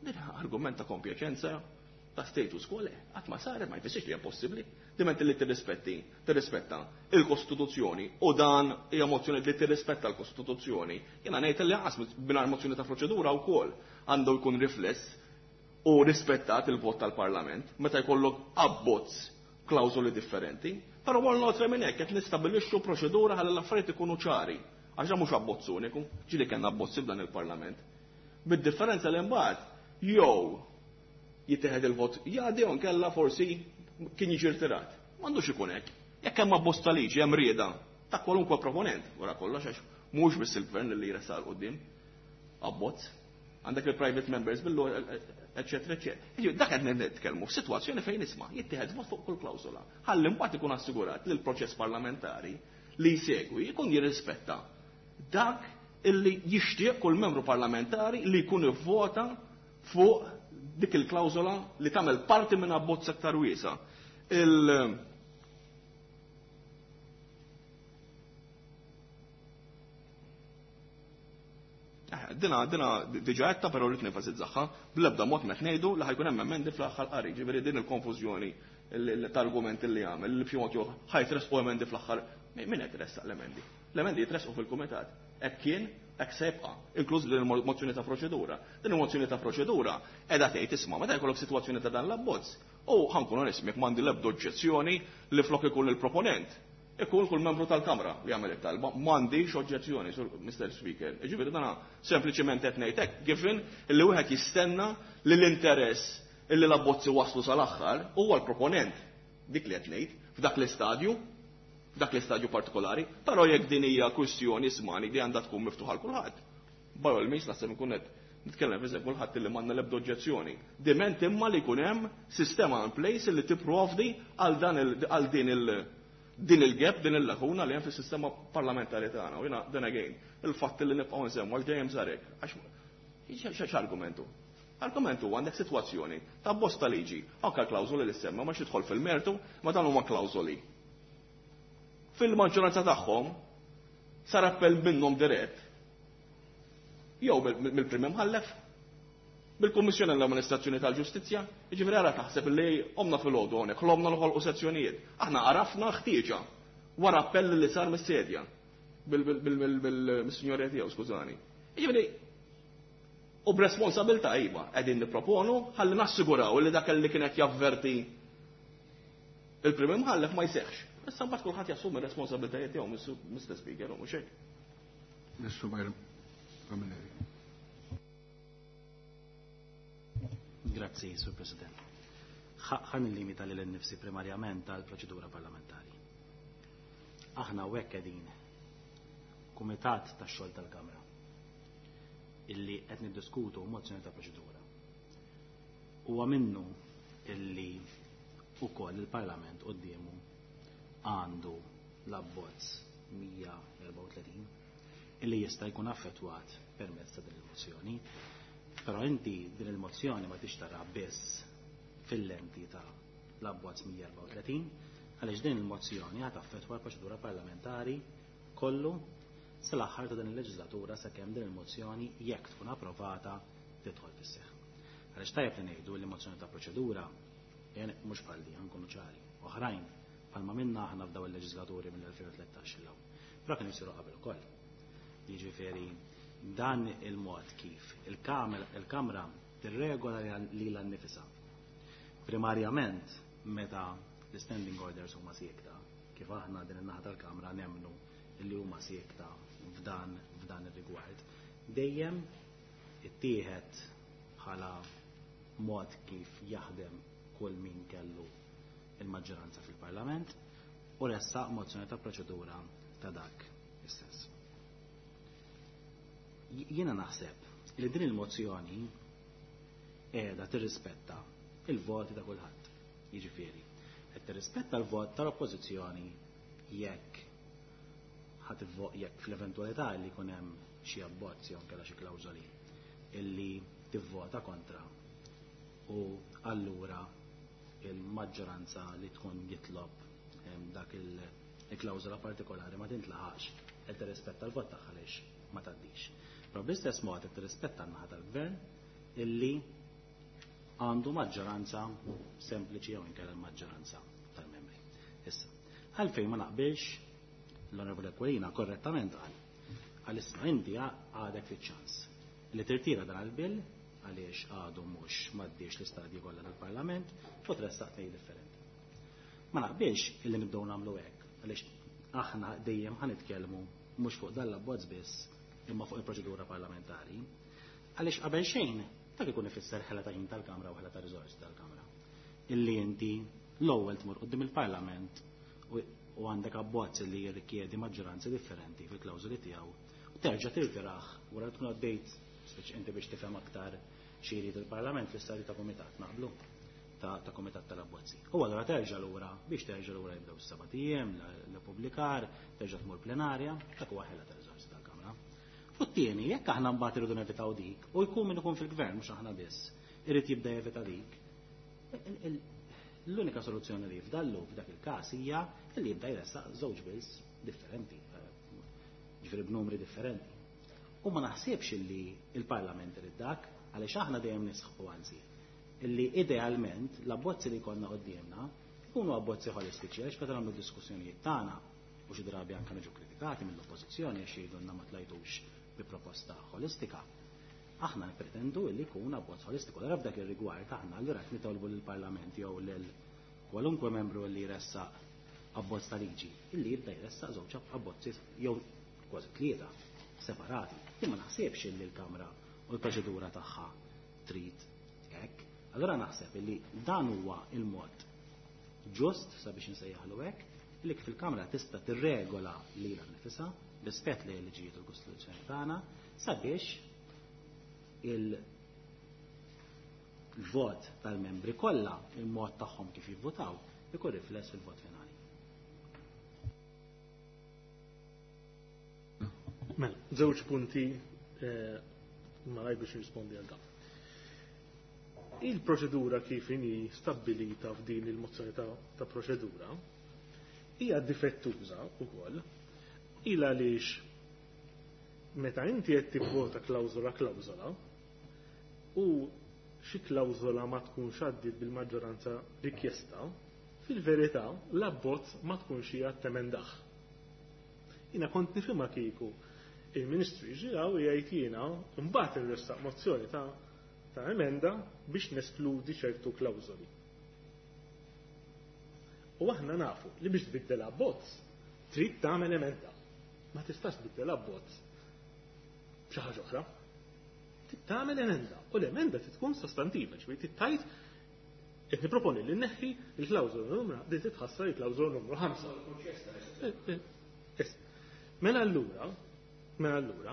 Din argument ta' kompjaċenza ta' status quo, le, qatt ma saret ma jfissirx li hija possibbli. Diment li tirrispetti, tirrispetta il-Kostituzzjoni u dan hija mozzjoni li tirrispetta l-Kostituzzjoni. Jiena ngħid li qas mingħajr mozzjoni ta' proċedura wkoll għandu jkun rifless u rispettat il-vot tal-Parlament meta jkollok abbozz klawżoli differenti. Però wara l-oltre minn hekk qed nistabbilixxu proċedura ħalli l-affarijiet ikunu ċari. Għax mhux abbozz uniku, ġieli kellna abbozzi f'dan il-Parlament. Bid-differenza li mbagħad jew jittieħed il-vot jgħaddi jew nkella forsi kien jiġi rtirat. M'għandux ikun hekk. Jekk hemm abbozz ta' liġi hemm rieda ta' kwalunkwe proponent wara kollox għax mhux biss il-gvern li jressaq 'l quddiem abbozz. Għandek il-private members billu, eccetera, eccetera. Dak qed nitkellmu f'sitwazzjoni fejn isma' jittieħed vot fuq kull klawsola. Ħalli mbagħad ikun assigurat li l-proċess parlamentari li jsegwi jkun jirrispetta dak illi jixtieq kull membru parlamentari li jkun ivvota fuq dik il-klawsola li tagħmel parti minn abbozz aktar wiesa. Il Dina, dina diġa għedta, però rrid nenfasizzaha, bl-ebda mod meta ngħidu li ħajkun hemm emendi fl-aħħar qari, ġifieri din il-konfużjoni tal-argument li għamel, li b'xi mod jew ħajtresqu emendi fl-aħħar. Min qed iressaq l-emendi? L-emendi jitresqu fil-kumitat. Hekk kien, hekk se jibqa', inkluż din il-mozzjoni ta' proċedura. Din il-mozzjoni ta' proċedura qiegħda tgħid isma' meta jkollok sitwazzjoni ta' dan l-abbozz, u ħankun onest miegħek m'għandi l-ebda oġġezzjoni li flok ikun il-proponent. Ikun kull membru tal-Kamra li jagħmel it-talba, m'għandix oġġezzjoni, sur Mister Speaker. Jiġifieri dana sempliċement qed ngħid hekk, given li wieħed jistenna li l-interess illi l-abbozzi waslu sal-aħħar huwa l-proponent. Dik li qed ngħid f'dak l-istadju, f'dak l-istadju partikolari, però jekk din hija kwistjoni ismani li għandha tkun miftuħa għal kulħadd. By all means naħseb inkun qed nitkellem f'isem kulħadd illi m'għandna l-ebda oġġezzjoni. Diment imma li jkun hemm sistema in place li tipprovdi għal dan il, għal din il din il-gap, din il-lakuna li hemm fis-sistema parlamentari tagħna. U jiena then again, il-fatt li nibqgħu nsemmu għax dejjem sarek, għax x'argumentu? Argumentu għandek sitwazzjoni ta' bosta liġi, anke klawżoli li semma ma xidħol fil-mertu, ma dan huma klawżoli. Fil-maġġoranza tagħhom sar appell minnhom dirett. Jew mill-prim imħallef, bil-Kummissjoni l-Amministrazzjoni tal-Ġustizzja, jiġifieri ara taħseb li omna fil-għodu hawnhekk, ħlomna noħolqu sezzjonijiet. Aħna għarafna ħtieġa wara appell li sar mis-sedja bil-sinjorja tiegħu, skużani. Jiġifieri u b'responsabilità iva qegħdin nipproponu ħalli nassiguraw li dak li kien qed javverti il-prim imħallef ma jseħħx. Issa mbagħad kulħadd jassumi r-responsabilitajiet tiegħu, Mister Speaker, u mhux hekk. Mr. Byron Camilleri. Grazzi, Sur President. Ħan nillimita lil innifsi primarjament għal proċedura parlamentari. Aħna hawnhekk qegħdin kumitat tax-xogħol tal-Kamra illi qed niddiskutu mozzjoni ta' proċedura. Huwa minnu illi ukoll il-Parlament quddiemu għandu l-abbozz mija erbgħa u tletin illi jista' jkun affettwat permezz ta' din il-mozzjoni. Però inti din il-mozzjoni ma tixtara biss fil-lenti ta' l-abbozz mija erbgħa u tletin għaliex din il-mozzjoni ħad affettwa l-proċedura parlamentari kollu sal-aħħar ta' din il-leġislatura sakemm din il-mozzjoni jekk tkun approvata tidħol fis-seħħ. Għaliex tajjeb li ngħidu li mozzjoni ta' proċedura mhux bħal di, nkunu ċari, oħrajn bħalma minna aħna f'daw il-leġislaturi mill-elfejn u tlettax il hawn. Però kienu jsiru qabel ukoll. Jiġifieri dan il-mod kif il-Kamra tirregola lilha nnifisha. Primarjament meta l-standing orders huma siekta, kif aħna din in-naħa tal-Kamra nemmnu li huma siekta f'dan f'dan ir-rigward, dejjem ittieħed bħala mod kif jaħdem kull min kellu il-maġġoranza fil-Parlament u ressaq mozzjoni ta' proċedura ta' dak istess. Jiena naħseb li din il-mozzjoni qiegħda tirrispetta il-voti ta' kulħadd. Jiġifieri, qed tirrispetta l-vot tal-oppożizzjoni jekk ħadd jekk fl-eventwalità li jkun hemm xi abbozz jew inkella xi klawżoli illi tivvota kontra u allura il-maġġoranza li tkun jitlob dak il-klawżola partikolari ma tintlaħax, qed tirrispetta l-vot tagħha għaliex ma tgħaddix. Però bl-istess mod qed tirrispetta n-naħa tal-gvern illi għandu maġġoranza sempliċi jew inkella l-maġġoranza tal-membri. Issa, għalfejn ma naqbilx l-Onorevoli Aquilina korrettament qal għal issa inti għadek fiċ-ċans li tirtira dan il-bill għaliex għadu mhux m'għaddiex l-istadji kollha tal-Parlament u tressaq tnejn differenti. Ma naqbilx illi nibdew nagħmlu hekk għaliex aħna dejjem ħanitkellmu mhux fuq dan l-abbozz biss imma fuq il-proċedura parlamentari, għaliex qabel xejn dak ikun ifisser ħela ta' ħin tal-Kamra u ħela ta' riżorsi tal-Kamra. Illi inti l-ewwel tmur quddiem il-Parlament u għandek abbozz li jirrikjedi maġġoranzi differenti fil-klawżoli tiegħu u terġa' tirtiraħ wara tkun għaddejt speċi inti biex tifhem aktar xi jrid il-Parlament fl-istadju ta' kumitat naqblu ta', ta' kumitat tal-abbozzi. U allura terġa' lura biex terġa' lura jibdew is-seba' ijiem l-pubblikar, terġa' tmur plenarja, dak huwa ħela ta' riżorsi tal-Kamra. U t-tieni, jekk aħna mbagħad irridu nevitaw dik, u jkun min ikun fil-gvern mhux aħna biss, irid jibda jevita dik, l-unika soluzzjoni li jifdallu f'dak il-każ hija li jibda jressaq żewġ bills differenti, ġifieri b'numri differenti. U ma naħsibx illi il-Parlament irid dak, għaliex aħna dejjem nisħu anzi, illi idealment l-abbozzi li jkollna quddiemna jkunu abbozzi holistiċi, għaliex meta nagħmlu diskussjonijiet tagħna u xi drabi anke niġu kritikati mill-oppożizzjoni għax jgħidulna ma tlajtux bi proposta holistika. Aħna nippretendu illi jkun abbozz holistiku. Allura f'dak ir-rigward aħna allura qed nitolbu lill-Parlament jew lil kwalunkwe membru li jressaq abbozz ta' liġi illi jibda jressaq żewġ abbozzi jew kważi tlieta separati. Imma naħsibx illi l-Kamra u l-proċedura tagħha trid hekk. Allura naħseb illi dan huwa il-mod ġust sabiex insejjaħlu hekk li kif il-Kamra tista' tirregola lilha nnifisha rispett lejn il-liġijiet u l-Kostituzzjoni tagħna sabiex il-vot tal-membri kollha, il-mod tagħhom kif jivvotaw, ikun rifless fil-vot finali. Mela, żewġ punti eh, malaj biex nirrispondi għal dan. Il-proċedura kif inhi stabbilita f'din il-mozzjoni ta', ta' proċedura hija difettuża wkoll il għaliex meta inti qed tivvota klawżola klawżola u xi klawżola ma tkunx għaddiet bil-maġġoranza rikjesta, fil-verità l-abbozz ma tkunx hija temendaħ. Jiena kont nifhimha kieku il-Ministru jiġi hawn jgħid jiena mbagħad inressaq mozzjoni ta' ta' emenda biex neskludi ċertu klawżoli. U aħna nafu li biex tbiddel abbozz trid tagħmel emenda. Ma tistax tbiddel abbozz b'xi ħaġa oħra. Trid tagħmel emenda u l-emenda trid tkun sostantiva, ġifieri trid tgħid qed niproponi li nneħħi il-klawżola numru li titħassar il-klawżola numru ħamsa. Mela allura, mela allura,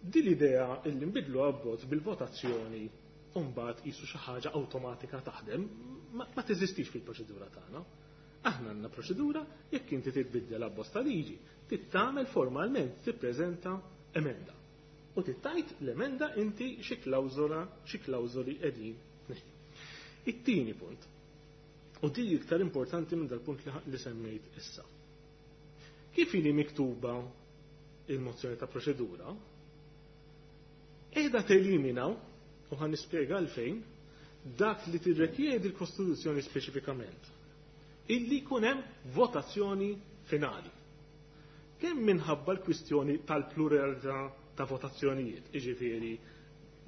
din l-idea illi nbidlu abbozz bil-votazzjoni u mbagħad qisu xi ħaġa awtomatika taħdem ma, ma teżistix fil-proċedura tagħna. Aħna għandna proċedura jekk inti titbiddel abbozz ta' liġi, trid tagħmel formalment tippreżenta emenda. U tittajt l-emenda inti xi klawżola, xi klawżoli qegħdin tneħħi. It-tieni punt, u di iktar importanti minn dal-punt li, li semmejt issa. Kif ili miktuba il-mozzjoni ta' proċedura, qiegħda telimina, u ħa nispjega għalfejn, dak li tirrikjedi l-Kostituzzjoni speċifikament, illi jkun hemm votazzjoni finali. Kemm minħabba l-kwistjoni tal-pluralità ta' votazzjonijiet, jiġifieri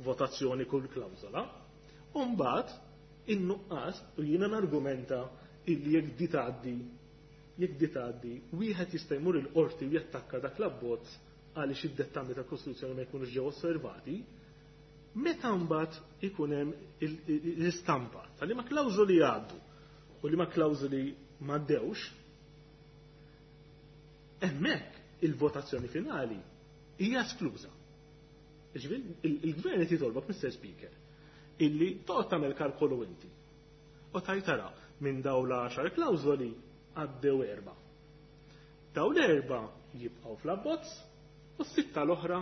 votazzjoni kull klawżola, u mbagħad in-nuqqas u jiena nargumenta illi jekk di tgħaddi jekk di tgħaddi wieħed jista' jmur il-qorti u jattakka dak l-abbozz għaliex id-dettami tal-Kostituzzjoni ma jkunux ġew osservati, meta mbagħad ikun hemm l-istampa ta' liema klawżoli jgħaddu u liema klawżoli m'għaddewx, hemmhekk il-votazzjoni finali hija eskluża. Ġifieri il-gvern qed jitolbok, Mister Speaker, illi toqgħod tagħmel kalkolu inti. U tajt tara minn dawn l-għaxar klawżoli għaddew erba'. Dawn l-erba' jibqgħu fl-abbozz u s-sitta l-oħra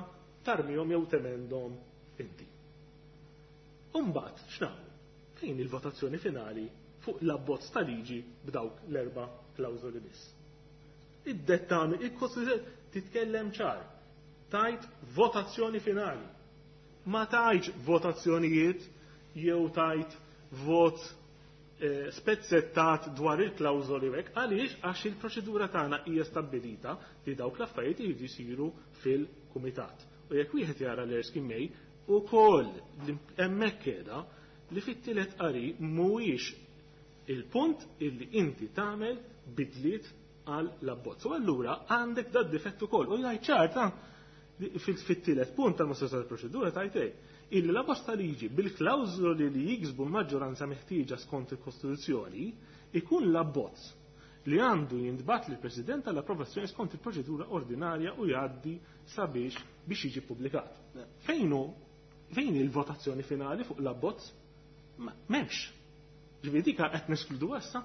tarmihom jew temendhom inti. U mbagħad x'nagħmlu? Fejn il-votazzjoni finali fuq l-abbozz ta' liġi b'dawk l-erba' klawżoli biss. Id-dettami, il-Kostituzzjoni titkellem ċar. Tajt votazzjoni finali. Ma tajtx votazzjonijiet jew tajt vot eh, spezzettat dwar il-klawżoli hekk, għaliex għax il-proċedura tagħna hija stabbilita li dawk l-affarijiet iridu jsiru fil-kumitat. U jekk wieħed jara l-Erskine May ukoll hemmhekk qiegħda li fit-tielet qari mhuwiex il-punt illi inti tagħmel bidliet għal l-abbozz. U allura għandek dad difett ukoll. U jgħid ċar ta' fit-tielet punt tal-mozzjoni tal-proċedura tajt hekk illi l-abbozz ta' liġi bil-klawżoli li jiksbu l-maġġoranza meħtieġa skont il-Kostituzzjoni ikun l-abbozz li għandu jintbagħat lill-President għall-approvazzjoni skont il-proċedura ordinarja u jgħaddi sabiex biex jiġi ppubblikat. Fejn hu fejn il-votazzjoni finali fuq l-abbozz? M'hemmx. Ġifieri dik qed neskludu issa.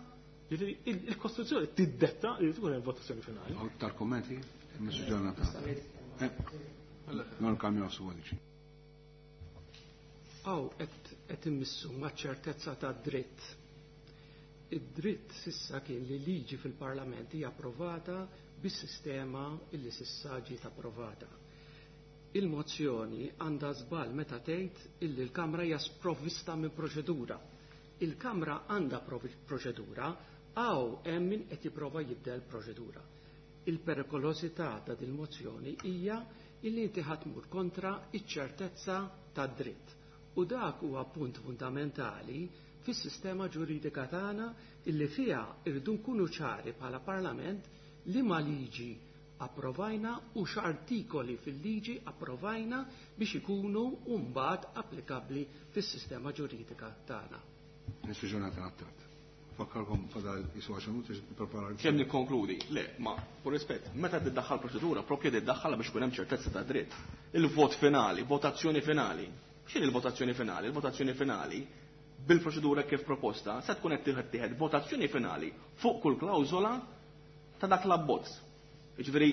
Ġifieri il-Kostituzzjoni tiddetta li tkun hemm votazzjoni finali. Aktar kommenti? Mr. Jonathan. Non kamjaw su għadiċi. Għaw, qed immissu ma' ċertezza ta' dritt. Id-dritt sissa kien li liġi fil-Parlament hija approvata bis-sistema illi sissa ġiet approvata. Il-mozzjoni għandha żball meta tgħid illi l-Kamra hija sprovvista minn proċedura. Il-Kamra għandha proċedura, għaw hemm min qed jipprova jibdel proċedura. Il-perikolosità ta' din mozzjoni hija illi inti ħa tmur kontra iċ-ċertezza tad-dritt. U dak huwa punt fundamentali fis-sistema ġuridika tagħna illi fiha irridu nkunu ċari bħala Parlament li ma liġi approvajna u x'artikoli fil-liġi approvajna biex ikunu mbagħad applikabbli fis-sistema ġuridika tagħna. Mr. Jonathan Attard. Fakkarkom fadal jisu għaxar minuti biex nipprepara l- Kemm nikkonkludi? Le, ma, pur rispett, meta tiddaħħal proċedura, propju tiddaħħalha biex ikun hemm ċertezza ta' dritt. Il-vot finali, votazzjoni finali. X'inhi il-votazzjoni finali? Il-votazzjoni finali bil-proċedura kif proposta se tkun qed tieħed votazzjoni finali fuq kull klawżola ta' dak l-abbozz. Jiġifieri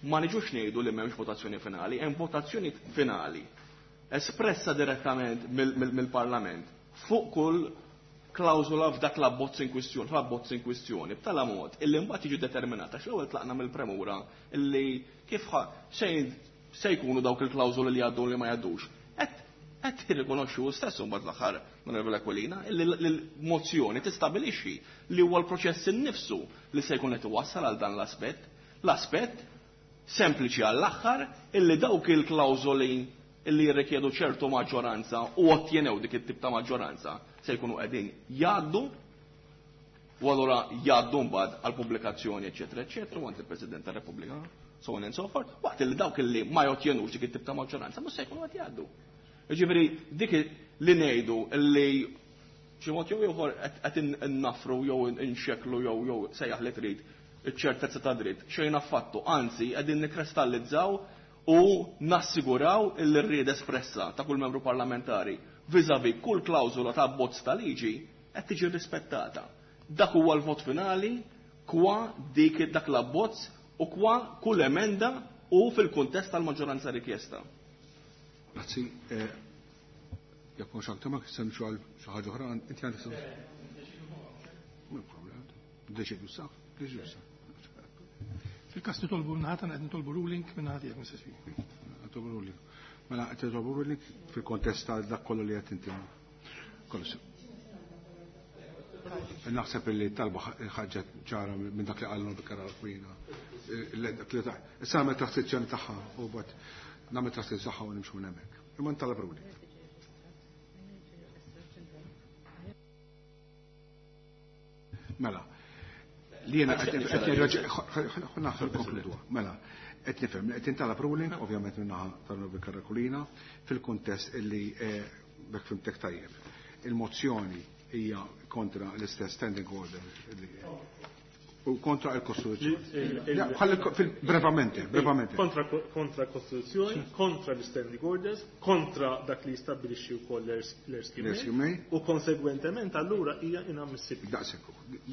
Ma niġux ngħidu li m'hemmx votazzjoni finali, hemm votazzjoni finali espressa direttament mill-Parlament fuq kull klawżola f'dak l-abbozz in kwistjoni, fl-abbozz in kwistjoni, b'tala mod illi mbagħad jiġi determinata x'l-ewwel tlaqna mill-premura illi kif se jkunu dawk il-klawżoli li jgħaddu li ma jgħaddux. Qed tirrikonoxxu stess imbagħad l-aħħar Onorevole Aquilina illi l-mozzjoni tistabilixxi li huwa l-proċess innifsu li se jkun qed iwassal għal dan l-aspett. L-aspett sempliċi għall-aħħar illi dawk il-klawżoli illi jirrikjedu ċertu maġġoranza u ottjenew dik it-tip ta' maġġoranza se jkunu qegħdin jgħaddu u allura jgħaddu mbagħad għal pubblikazzjoni eċetera eċetera u għand il-President tar-Repubblika so on and so forth, waqt illi dawk illi ma jottjenux dik it-tip ta' maġġoranza mhux se jkunu qed jgħaddu. Jiġifieri dik li ngħidu illi xi mod jew ieħor qed innafru jew inxeklu jew jew sejjaħ li trid iċ-ċertezza ta' dritt xejn affattu, anzi qegħdin nikkristallizzaw u nassiguraw illi rrieda espressa ta' kull membru parlamentari vis-à-vis kull klawżola ta' abbozz ta' liġi qed tiġi rispettata. Dak huwa l-vot finali kwa dik dak l-abbozz u kwa kull emenda u fil-kuntest tal-maġġoranza rikjesta. Grazzi. Jekk mhux aktar ma semxu għal xi ħaġa oħra, inti għandek problem. Deċidu sa, deċidu sa. Fil-kas nitolbu minnaħat, għed nitolbu ruling minnaħat jek, Mister Speaker. Nitolbu ruling. Mela, qed nitolbu ruling fil-kontest ta' dak kollu li qed inti. Kollu. Naħseb li talba ħaġa ċara minn dak li qallu bikara l-kwina. Issa nagħmel traskrizzjoni tagħha u bad nagħmel traskrizzjoni tagħha u nimxu minn hemmhekk. Imma ntalab ruling. Mela, li jena konkludu. Mela, qed nifhem li qed intalab ruling, ovvjament minnaħa tal-Onorevoli Karakulina, fil-kuntest illi bekk fimtek tajjeb. Il-mozzjoni hija kontra l-istess standing order u kontra l-Kostituzzjoni. Brevamente, brevamente. Kontra kontra l-Kostituzzjoni, kontra l-standing orders, kontra dak li jistabbilixxi wkoll l-Erskine u konsegwentement allura hija inammissibbli. Daqshekk,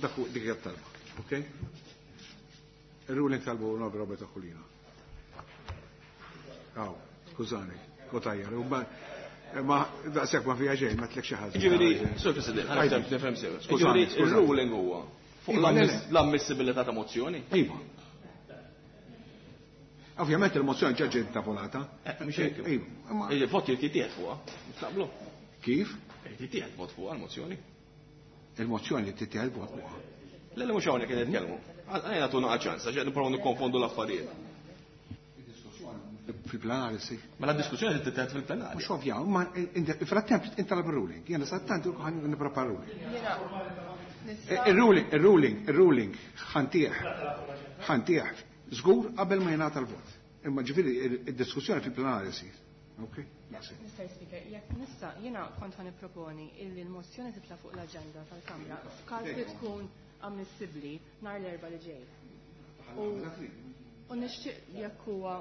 dak dik hija talba. Ok? Il-ruling talbu Onorevole Roberta Aquilina. Aw, skużani, kotajjar. Ma daqshekk ma fiha xejn, ma tlek xi ħaġa. Ġifieri, Sur President, ħa nifhem sew. Ġifieri, il-ruling huwa fuq l-ammissibilità ta' mozzjoni? Iva. Ovvjament il-mozzjoni ġa ġiet tavolata. Mhux hekk. Iva. Il-vot irid jittieħed fuqha. Naqblu. Kif? Irid jittieħed vot fuqha l-mozzjoni. Il-mozzjoni tittieħed vot fuqha. Le le mhux hawnhekk qed nitkellmu. Għajna tuna ċans, għax qed nipprovaw nikkonfondu l-affarijiet. Fil-plenari si. Mela d-diskussjoni tittieħed fil-plenari. Mhux ovvja, ma frattemp intalab ir-ruling. Jiena sattant ħan nipprepara ruling. Il-ruling, il-ruling, il-ruling ħantieħ, ħantieħ, żgur qabel ma jingħata l-vot. Imma ġifieri id-diskussjoni fil-plenarja sir. Ok? Mister Speaker, jekk nista' jiena kont ħa nipproponi illi l-mozzjoni titla' fuq l-aġenda tal-Kamra f'każ li tkun ammissibbli nhar l-Erbgħa li ġej. U nixtieq jekk huwa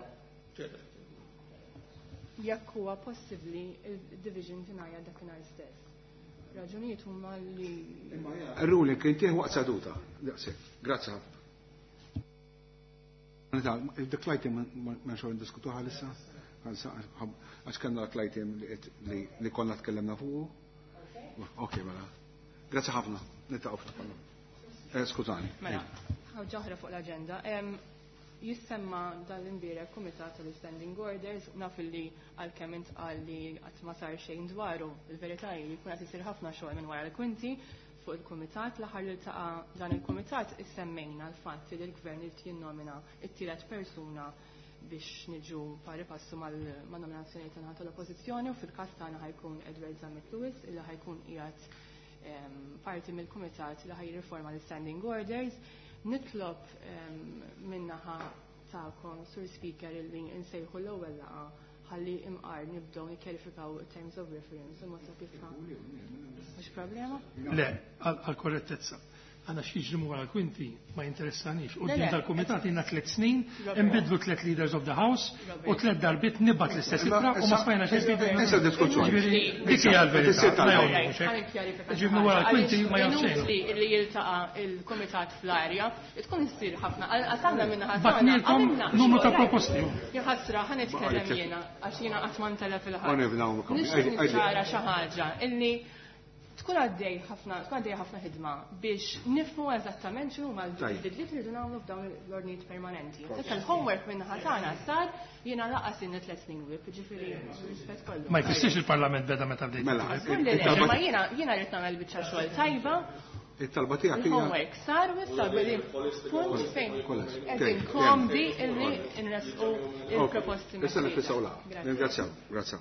jekk huwa possibbli il-division tingħajja dakinhar stess. Raġunijiet huma li Ir-ruling kien tieħ waqt seduta. Daqshekk. Grazzi ħafna. Dik l-item ma nxogħol ndiskutuha issa. Għax kellna dak l-item li konna tkellimna fuqu. Ok, mela. Grazzi ħafna. Niltaqgħu fil-parlament. Skużani. Mela, ħaġa oħra fuq l-aġenda. Jissemma dal-imbierek Kumitat tal-Standing Orders, naf li għalkemm intqal li qatt ma sar xejn dwaru, il-verità hi li jkun qed isir ħafna xogħol minn wara l-kwinti fuq il-kumitat. L-aħħar li ltaqa' dan il-kumitat issemmejna l-fatt li l-gvern irid jinnomina t-tielet persuna biex niġu pari passu mal-nominazzjoni tagħna tal-Oppożizzjoni, u fil-każ tagħna ħajkun Edward Zammit Lewis illi ħajkun qiegħed parti mill-kumitat li ħajriforma l-Standing Orders. Nitlob minnaħa tagħkom, Sur Speaker, illi nsejħu l-ewwel laqgħa ħalli imqar nibdew nikkjarifikaw terms of reference u mod ta' kif. Mhux problema? Le, għal korrettezza. Għana x'jiġri wara l-kwinti ma jinteressanix. U din tal-kumitat jiena tliet snin, inbidlu tliet leaders of the house u tliet darbiet nibgħat l-istess ittra u ma smajna xejn. Issa diskussjoni. Dik hija l-verità. Ġifieri wara l-kwinti ma jgħod xejn. Li jiltaqa' il-kumitat fl-arja, tkun issir ħafna. Għasanna minna ħafna. Batnilkom numru ta' proposti. Jħassra, ħa nitkellem jiena għax jiena qatt ma ntella fil-ħadd. Nixtieq niċċara xi ħaġa illi tkun għaddej ħafna, tkun għaddej ħafna ħidma biex nifhmu eżattament x'inhu huma l-bidliet li rridu nagħmlu f'dawn l-ordnijiet permanenti. Issa l-homework minn ħatana sar jiena laqas inni tliet snin whip, ġifieri rispett kollu. Ma jfissirx il-Parlament beda meta bdejt. Mela, ma jiena jiena rrid nagħmel biċċa xogħol tajba. It-talba tiegħek hija. Il-homework sar u issa qegħdin punt fejn qegħdin komdi illi nresqu il-proposti. Issa nifissaw la. Ringrazzjaw, grazzjaw.